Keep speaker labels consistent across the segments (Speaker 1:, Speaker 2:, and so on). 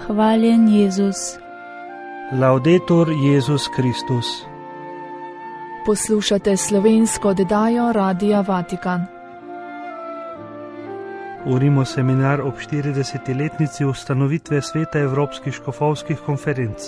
Speaker 1: Hvaljen Jezus.
Speaker 2: Laudetur Jezus Kristus.
Speaker 3: Poslušate slovensko oddajo Radia Vatikan.
Speaker 2: Urimo seminar ob 40-letnici ustanovitve Sveta Evropskih škofovskih konferenc.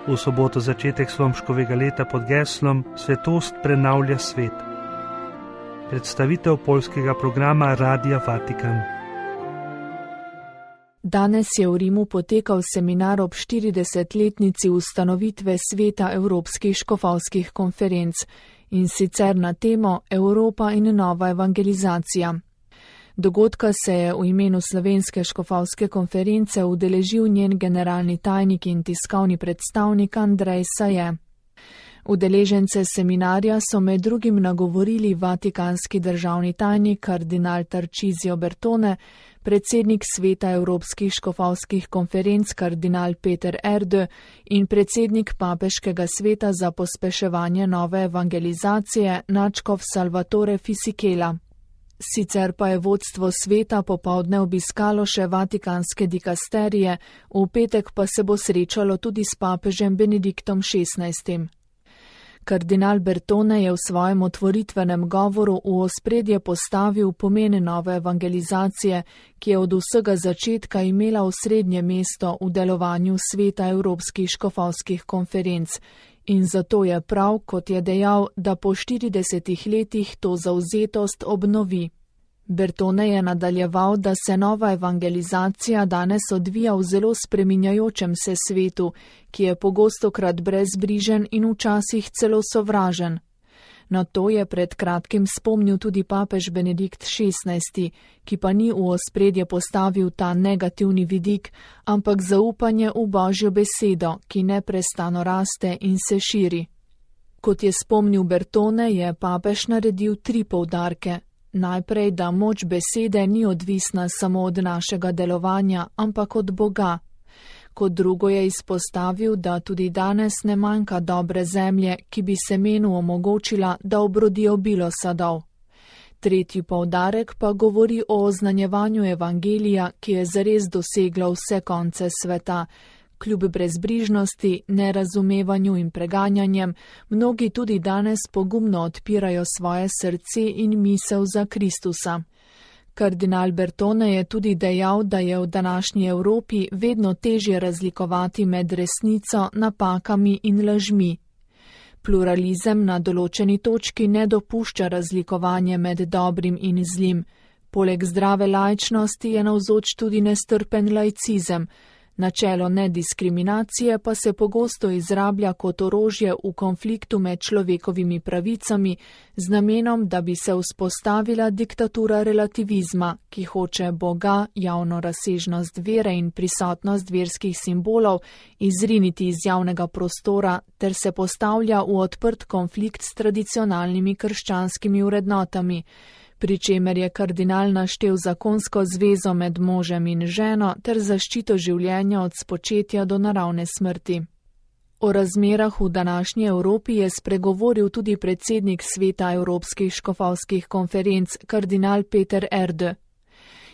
Speaker 2: V soboto začetek Slomškovega leta pod geslom Svetost prenavlja svet. Predstavitev poljskega programa Radia Vatikan.
Speaker 3: Danes je v Rimu potekal seminar ob 40-letnici ustanovitve Sveta Evropskih škofovskih konferenc, in sicer na temo Evropa in nova evangelizacija. Dogodka se je v imenu Slovenske škofovske konference udeležil njen generalni tajnik in tiskovni predstavnik Andrej Saje. Udeležence seminarja so med drugim nagovorili vatikanski državni tajnik kardinal Tarcisio Bertone, predsednik Sveta Evropskih škofovskih konferenc kardinal Peter Erde in predsednik Papeškega sveta za pospeševanje nove evangelizacije nadškof Salvatore Fisichella. Sicer pa je vodstvo sveta popoldne obiskalo še vatikanske dikasterije, v petek pa se bo srečalo tudi s papežem Benediktom XVI. Kardinal Bertone je v svojem otvoritvenem govoru v ospredje postavil pomen nove evangelizacije, ki je od vsega začetka imela osrednje mesto v delovanju Sveta Evropskih škofovskih konferenc, in zato je prav, kot je dejal, da po 40 letih to zavzetost obnovi. Bertone je nadaljeval, da se nova evangelizacija danes odvija v zelo spreminjajočem se svetu, ki je pogostokrat brezbrižen in včasih celo sovražen. Na to je pred kratkim spomnil tudi papež Benedikt XVI, ki pa ni v ospredje postavil ta negativni vidik, ampak zaupanje v Božjo besedo, ki neprestano raste in se širi. Kot je spomnil Bertone, je papež naredil 3 poudarke. Najprej, da moč besede ni odvisna samo od našega delovanja, ampak od Boga. Kot drugo je izpostavil, da tudi danes ne manjka dobre zemlje, ki bi semenu omogočila, da obrodi obilo sadov. Tretji poudarek pa govori o oznanjevanju evangelija, ki je zares doseglo vse konce sveta. Kljub brezbrižnosti, nerazumevanju in preganjanjem, mnogi tudi danes pogumno odpirajo svoje srce in misel za Kristusa. Kardinal Bertone je tudi dejal, da je v današnji Evropi vedno težje razlikovati med resnico, napakami in lažmi. Pluralizem na določeni točki ne dopušča razlikovanje med dobrim in zlim. Poleg zdrave laičnosti je navzoč tudi nestrpen laicizem. Načelo nediskriminacije pa se pogosto izrablja kot orožje v konfliktu med človekovimi pravicami z namenom, da bi se vzpostavila diktatura relativizma, ki hoče Boga, javno razsežnost vere in prisotnost verskih simbolov izriniti iz javnega prostora ter se postavlja v odprt konflikt s tradicionalnimi krščanskimi vrednotami, pri čemer je kardinal naštel zakonsko zvezo med možem in ženo ter zaščito življenja od spočetja do naravne smrti. O razmerah v današnji Evropi je spregovoril tudi predsednik Sveta Evropskih škofovskih konferenc kardinal Peter Erde.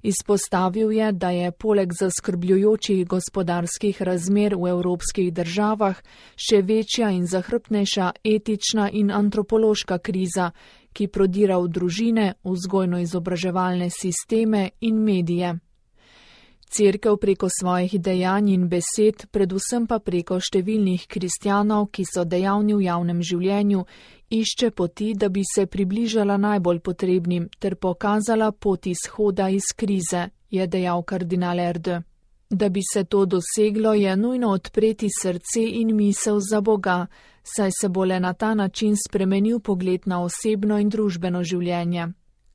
Speaker 3: Izpostavil je, da je poleg zaskrbljujočih gospodarskih razmer v evropskih državah še večja in zahrbtnejša etična in antropološka kriza, ki prodira v družine, vzgojno-izobraževalne sisteme in medije. Cerkev preko svojih dejanj in besed, predvsem pa preko številnih kristjanov, ki so dejavni v javnem življenju, išče poti, da bi se približala najbolj potrebnim ter pokazala pot izhoda iz krize, je dejal kardinal Erde. Da bi se to doseglo, je nujno odpreti srce in misel za Boga, saj se bo le na ta način spremenil pogled na osebno in družbeno življenje.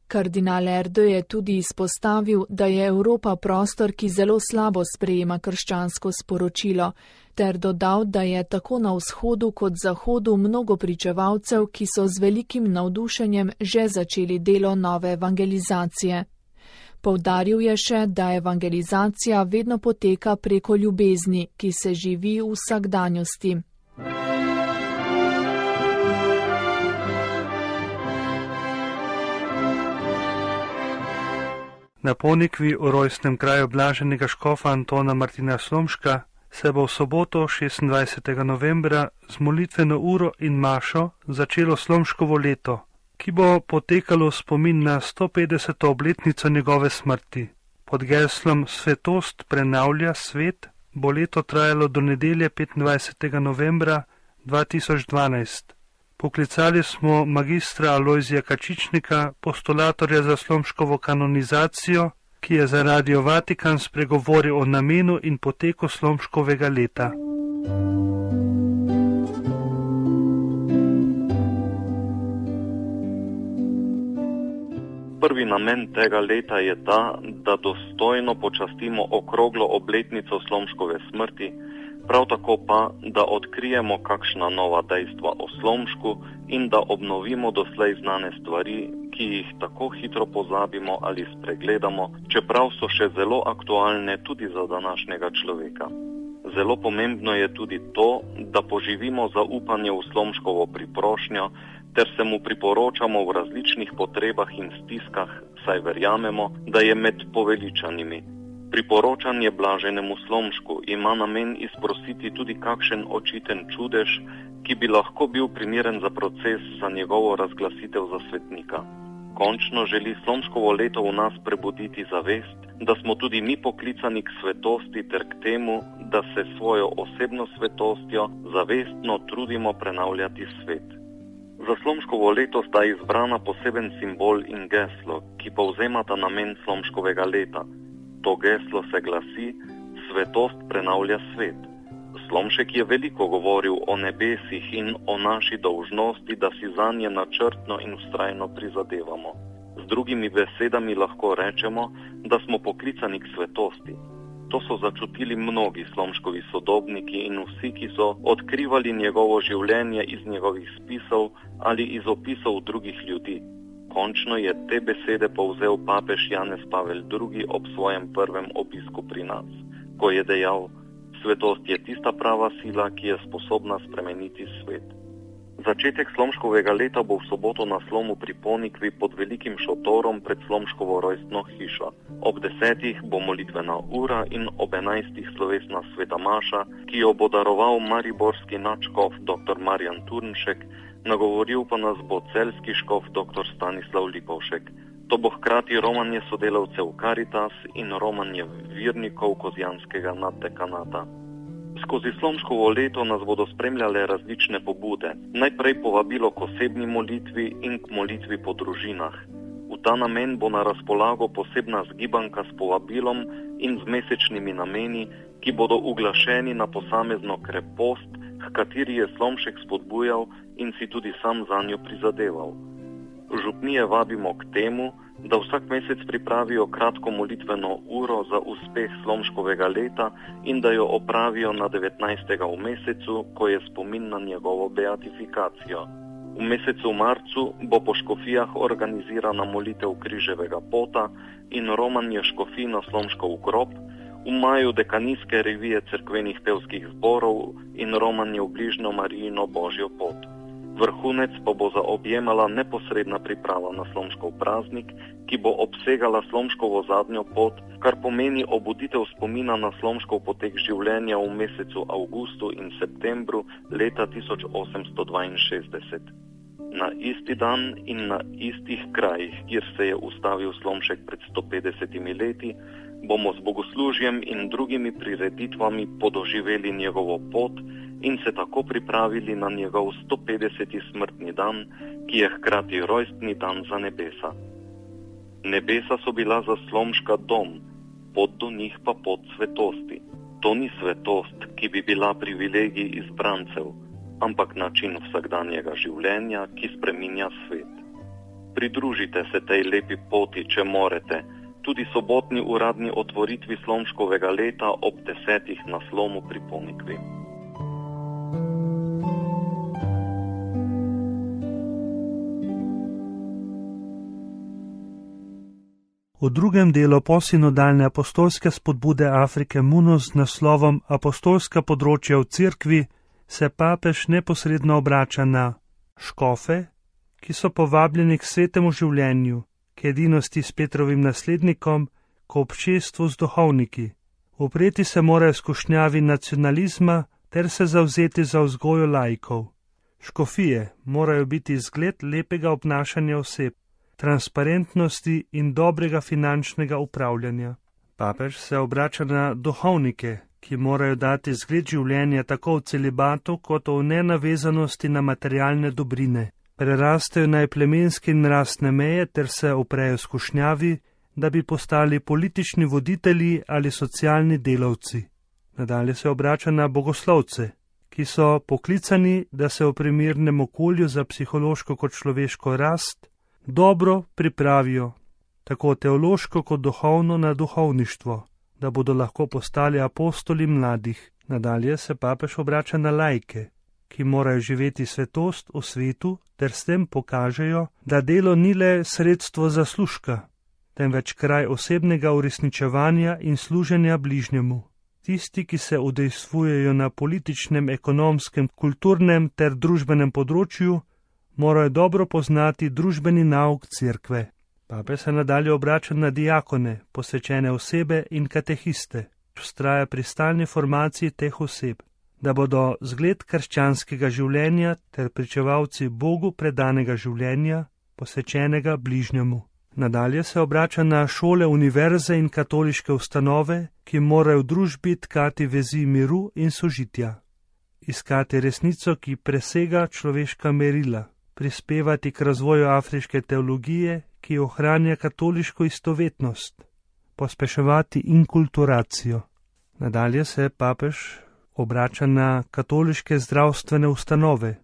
Speaker 3: Kardinal Erde je tudi izpostavil, da je Evropa prostor, ki zelo slabo sprejema krščansko sporočilo, ter dodal, da je tako na vzhodu kot zahodu mnogo pričevalcev, ki so z velikim navdušenjem že začeli delo nove evangelizacije. Poudaril je še, da evangelizacija vedno poteka preko ljubezni, ki se živi v vsakdanjosti.
Speaker 2: Na Ponikvi v rojstnem kraju blaženega škofa Antona Martina Slomška se bo v soboto 26. novembra z molitveno uro in mašo začelo Slomškovo leto, ki bo potekalo v spomin na 150. obletnico njegove smrti. Pod geslom Svetost prenavlja svet bo leto trajalo do nedelje 25. novembra 2012. Poklicali smo magistra Alojzija Kačičnika, postulatorja za Slomškovo kanonizacijo, ki je za Radio Vatikan spregovoril o namenu in poteku Slomškovega leta.
Speaker 1: Prvi namen tega leta je ta, da dostojno počastimo okroglo obletnico Slomškove smrti, prav tako pa, da odkrijemo kakšna nova dejstva o Slomšku in da obnovimo doslej znane stvari, ki jih tako hitro pozabimo ali spregledamo, čeprav so še zelo aktualne tudi za današnjega človeka. Zelo pomembno je tudi to, da poživimo zaupanje v Slomškovo priprošnjo, ter se mu priporočamo v različnih potrebah in stiskah, saj verjamemo, da je med poveličanimi. Priporočanje blaženemu Slomšku ima namen izprositi tudi kakšen očiten čudež, ki bi lahko bil primeren za proces za njegovo razglasitev za svetnika. Končno želi Slomškovo leto v nas prebuditi zavest, da smo tudi mi poklicani k svetosti ter k temu, da se svojo osebno svetostjo zavestno trudimo prenavljati svet. Za Slomškovo leto sta izbrana poseben simbol in geslo, ki povzemata namen Slomškovega leta. To geslo se glasi: Svetost prenavlja svet. Slomšek je veliko govoril o nebesih in o naši dolžnosti, da si zanje načrtno in vztrajno prizadevamo. Z drugimi besedami lahko rečemo, da smo poklicani k svetosti. To so začutili mnogi Slomškovi sodobniki in vsi, ki so odkrivali njegovo življenje iz njegovih spisov ali iz opisov drugih ljudi. Končno je te besede povzel papež Janez Pavel II. Ob svojem prvem obisku pri nas, ko je dejal: svetost je tista prava sila, ki je sposobna spremeniti svet. Začetek Slomškovega leta bo v soboto na Slomu pri Ponikvi pod velikim šotorom pred Slomškovo rojstno hišo. Ob 10. bo molitvena ura in ob 11. slovesna sveta maša, ki jo bo daroval mariborski nadškof dr. Marjan Turnšek, nagovoril pa nas bo celjski škof dr. Stanislav Lipovšek. To bo hkrati romanje sodelavcev Karitas in romanje virnikov Kozjanskega naddekanata. Skozi Slomškovo leto nas bodo spremljale različne pobude. Najprej povabilo k osebni molitvi in k molitvi po družinah. V ta namen bo na razpolago posebna zgibanka s povabilom in z mesečnimi nameni, ki bodo uglašeni na posamezno krepost, h kateri je Slomšek spodbujal in si tudi sam zanjo prizadeval. Župnije vabimo k temu, da vsak mesec pripravijo kratko molitveno uro za uspeh Slomškovega leta in da jo opravijo na 19. v mesecu, ko je spomin na njegovo beatifikacijo. V mesecu marcu bo po škofijah organizirana molitev križevega pota in romanje škofij na Slomškov grob, v maju dekanijske revije cerkvenih pevskih zborov in romanje v bližnjo Marijino Božjo pot. Vrhunec pa bo zaobjemala neposredna priprava na Slomškov praznik, ki bo obsegala Slomškovo zadnjo pot, kar pomeni obuditev spomina na Slomškov potek življenja v mesecu avgustu in septembru leta 1862. Na isti dan in na istih krajih, kjer se je ustavil Slomšek pred 150 leti, bomo z bogoslužjem in drugimi prireditvami podoživeli njegovo pot in se tako pripravili na njegov 150. smrtni dan, ki je hkrati rojstni dan za nebesa. Nebesa so bila za Slomška dom, pot do njih pa pot svetosti. To ni svetost, ki bi bila privilegij izbrancev, ampak način vsakdanjega življenja, ki spreminja svet. Pridružite se tej lepi poti, če morete, tudi sobotni uradni otvoritvi Slomškovega leta ob 10. na Slomu pri Ponikvi.
Speaker 2: V drugem delu posinodalne apostolske spodbude Afrike Munus z naslovom Apostolska področja v cerkvi se papež neposredno obrača na škofe, ki so povabljeni k svetemu življenju, k edinosti s Petrovim naslednikom k občestvu z duhovniki. Upreti se morajo skušnjavi nacionalizma ter se zavzeti za vzgojo laikov. Škofije morajo biti zgled lepega obnašanja oseb, transparentnosti in dobrega finančnega upravljanja. Papež se obrača na duhovnike, ki morajo dati zgled življenja tako v celibatu kot v nenavezanosti na materialne dobrine. Prerastejo naj plemenske in rastne meje ter se uprejo skušnjavi, da bi postali politični voditelji ali socialni delavci. Nadalje se obrača na bogoslovce, ki so poklicani, da se v primernem okolju za psihološko kot človeško rast dobro pripravijo, tako teološko kot duhovno na duhovništvo, da bodo lahko postali apostoli mladih. Nadalje se papež obrača na laike, ki morajo živeti svetost v svetu ter s tem pokažejo, da delo ni le sredstvo zaslužka, temveč kraj osebnega uresničevanja in služenja bližnjemu. Tisti, ki se udejstvujejo na političnem, ekonomskem, kulturnem ter družbenem področju, morajo dobro poznati družbeni nauk cerkve. Papež se nadalje obrača na diakone, posvečene osebe in katehiste, vztraja pri stalni formaciji teh oseb, da bodo zgled krščanskega življenja ter pričevalci Bogu predanega življenja, posvečenega bližnjemu. Nadalje se obrača na šole, univerze in katoliške ustanove, ki morajo v družbi tkati vezi miru in sožitja, iskati resnico, ki presega človeška merila, prispevati k razvoju afriške teologije, ki ohranja katoliško istovetnost, pospeševati inkulturacijo. Nadalje se papež obrača na katoliške zdravstvene ustanove.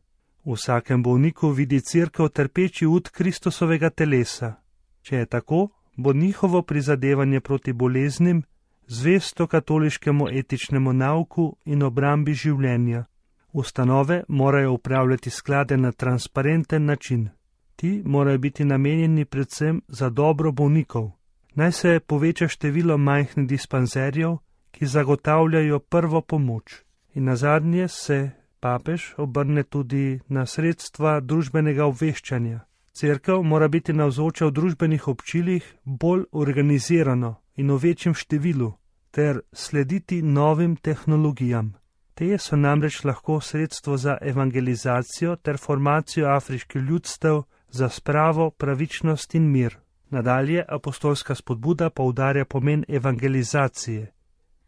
Speaker 2: V vsakem bolniku vidi cerkev trpeči ud Kristusovega telesa. Če je tako, bo njihovo prizadevanje proti boleznim zvesto katoliškemu etičnemu nauku in obrambi življenja. Ustanove morajo upravljati sklade na transparenten način. Ti morajo biti namenjeni predvsem za dobro bolnikov. Naj se poveča število majhnih dispanzerjev, ki zagotavljajo prvo pomoč. In nazadnje se papež obrne tudi na sredstva družbenega obveščanja. Cerkev mora biti navzoča v družbenih občilih bolj organizirano in v večjem številu, ter slediti novim tehnologijam. Te so namreč lahko sredstvo za evangelizacijo ter formacijo afriških ljudstev za spravo, pravičnost in mir. Nadalje apostolska spodbuda poudarja pomen evangelizacije,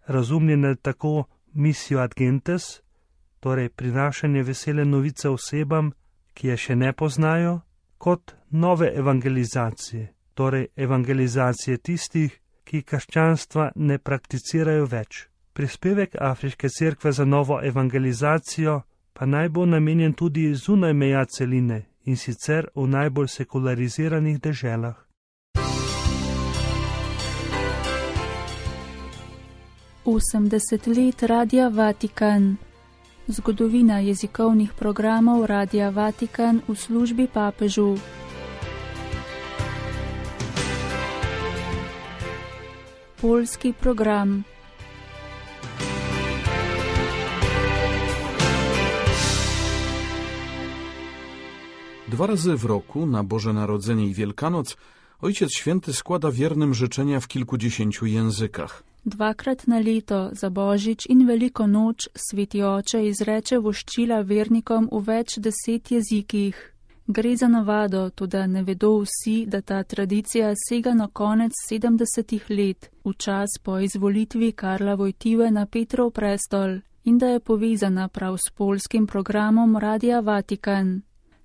Speaker 2: razumljene tako missio ad gentes, torej prinašanje vesele novice osebam, ki je še ne poznajo, kot nove evangelizacije, torej evangelizacije tistih, ki krščanstva ne prakticirajo več. Prispevek Afriške cerkve za novo evangelizacijo pa naj bo namenjen tudi zunaj meja celine in sicer v najbolj sekulariziranih deželah.
Speaker 4: Osemdeset let Radia Vatikan. Zgodovina jezikovnih programov Radia Vatikan v službi papežu. Poljski program.
Speaker 5: Dwa razy w roku, na Boże Narodzenie i Wielkanoc, Ojciec Święty składa wiernym życzenia w kilkudziesięciu językach.
Speaker 4: Dvakrat na leto, za Božič in Veliko noč, Sveti Oče izreče voščila vernikom v več 10 jezikih. Gre za navado, toda ne vedo vsi, da ta tradicija sega na konec 70 let, v čas po izvolitvi Karla Vojtive na Petrov prestol, in da je povezana prav s poljskim programom Radia Vatikan.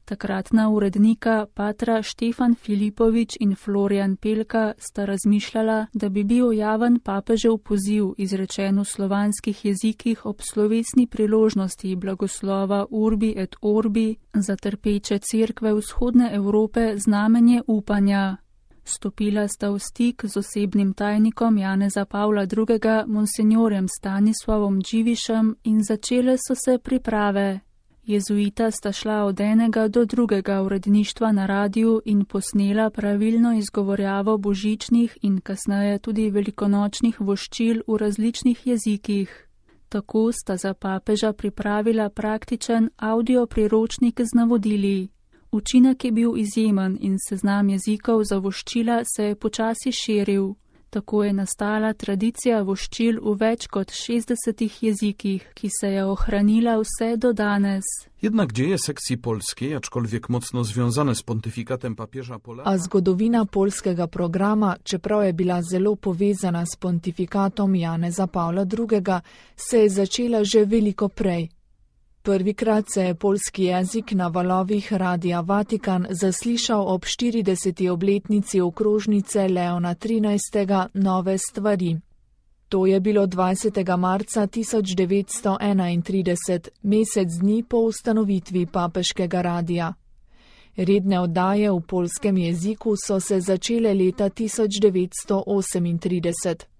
Speaker 4: Takratna urednika patra Štefan Filipovič in Florian Pelka sta razmišljala, da bi bil javen papežev poziv izrečen v slovanskih jezikih ob slovesni priložnosti blagoslova Urbi et Orbi za trpeče cerkve vzhodne Evrope znamenje upanja. Stopila sta v stik z osebnim tajnikom Janeza Pavla II. Monsignorjem Stanislavom Dživišem in začele so se priprave. Jezuita sta šla od enega do drugega uredništva na radiju in posnela pravilno izgovorjavo božičnih in kasneje tudi velikonočnih voščil v različnih jezikih. Tako sta za papeža pripravila praktičen audio priročnik z navodili. Učinek je bil izjemen in seznam jezikov za voščila se je počasi širil. Tako je nastala tradicija voščil v več kot 60 jezikih, ki se je ohranila vse do danes.
Speaker 5: Jednak dzieje sekcji polskiej, aczkolwiek mocno związane z pontyfikatem papieża Polaka.
Speaker 3: A zgodovina polskega programa, čeprav je bila zelo povezana s pontifikatom Janeza Pavla II., se je začela že veliko prej. Prvikrat se je polski jezik na valovih Radia Vatikan zaslišal ob 40. obletnici okrožnice Leona XIII. Nove stvari. To je bilo 20. marca 1931, mesec dni po ustanovitvi papeškega radia. Redne oddaje v polskem jeziku so se začele leta 1938.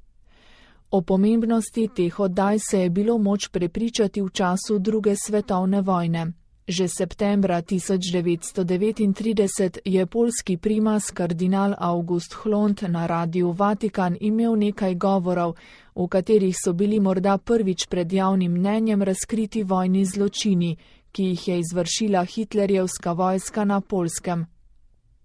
Speaker 3: O pomembnosti teh oddaj se je bilo moč prepričati v času II. Svetovne vojne. Že septembra 1939 je polski primas kardinal August Hlond na Radiu Vatikan imel nekaj govorov, v katerih so bili morda prvič pred javnim mnenjem razkriti vojni zločini, ki jih je izvršila hitlerjevska vojska na Polskem.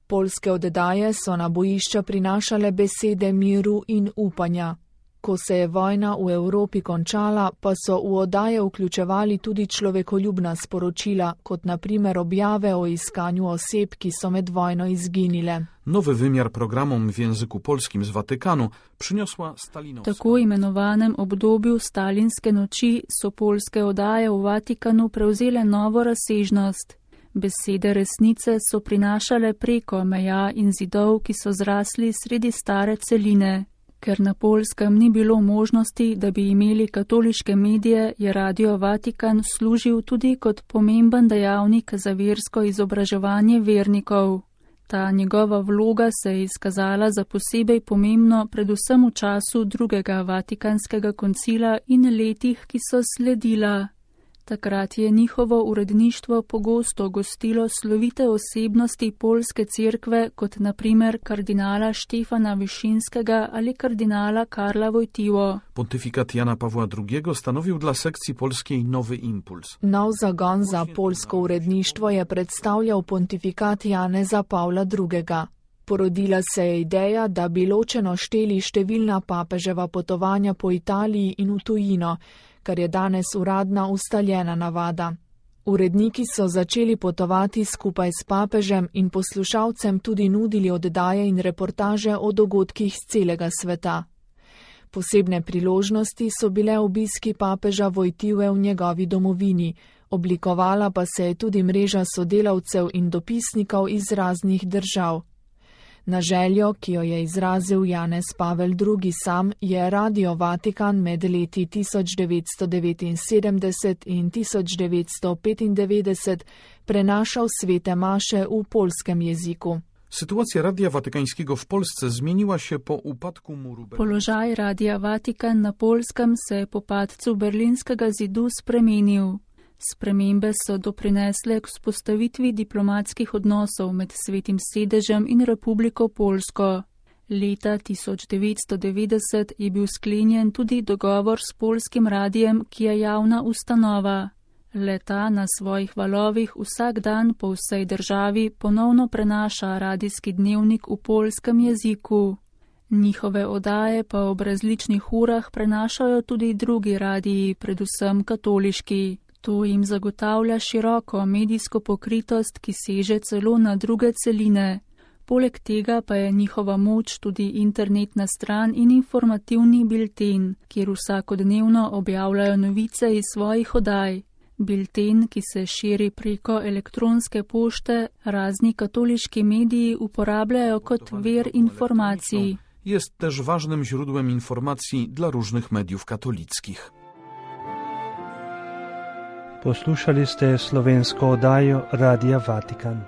Speaker 3: Polske oddaje so na bojišča prinašale besede miru in upanja. Ko se je vojna v Evropi končala, pa so v oddaje vključevali tudi človekoljubna sporočila, kot na primer objave o iskanju oseb, ki so med vojno izginile.
Speaker 5: Nowy wymiar programom w języku polskim z Watykanu przyniosła stalinowska.
Speaker 4: V tako imenovanem obdobju stalinske noči so polske oddaje v Vatikanu prevzele novo razsežnost. Besede resnice so prinašale preko meja in zidov, ki so zrasli sredi stare celine. Ker na Polskem ni bilo možnosti, da bi imeli katoliške medije, je Radio Vatikan služil tudi kot pomemben dejavnik za versko izobraževanje vernikov. Ta njegova vloga se je izkazala za posebej pomembno predvsem v času drugega Vatikanskega koncila in letih, ki so sledila. Takrat je njihovo uredništvo pogosto gostilo slovite osebnosti polske cerkve, kot na primer kardinala Štefana Višinskega ali kardinala Karla Wojtyło.
Speaker 5: Pontyfikat Jana Pawła II stanowił dla sekcji polskiej nowy impuls.
Speaker 3: Nov zagon za polsko uredništvo je predstavljal pontifikat Janeza Pavla II. Porodila se je ideja, da bi ločeno šteli številna papeževa potovanja po Italiji in v tujino, kar je danes uradna ustaljena navada. Uredniki so začeli potovati skupaj s papežem in poslušalcem tudi nudili oddaje in reportaže o dogodkih z celega sveta. Posebne priložnosti so bile obiski papeža Wojtyły v njegovi domovini, oblikovala pa se je tudi mreža sodelavcev in dopisnikov iz raznih držav. Na željo, ki jo je izrazil Janez Pavel II. Sam, je Radio Vatikan med leti 1979 in 1995 prenašal svete maše v polskem jeziku.
Speaker 5: Sytuacja Radia Watykańskiego w Polsce zmieniła się po upadku muru Berlina.
Speaker 4: Položaj Radia Vatikan na Polskem se je po padcu Berlinskega zidu spremenil. Spremembe so doprinesle k vzpostavitvi diplomatskih odnosov med Svetim sedežem in Republiko Polsko. Leta 1990 je bil sklenjen tudi dogovor s polskim radijem, ki je javna ustanova. Le-ta na svojih valovih vsak dan po vsej državi ponovno prenaša radijski dnevnik v polskem jeziku. Njihove oddaje pa ob različnih urah prenašajo tudi drugi radiji, predvsem katoliški. To jim zagotavlja široko medijsko pokritost, ki seže celo na druge celine. Poleg tega pa je njihova moč tudi internetna stran in informativni bilten, kjer vsakodnevno objavljajo novice iz svojih oddaj. Bilten, ki se širi preko elektronske pošte, razni katoliški mediji uporabljajo kot vir informacij.
Speaker 5: Jest też ważnym źródłem informacji dla różnych mediów katolickich.
Speaker 2: Poslušali ste slovensko oddajo Radia Vatikan.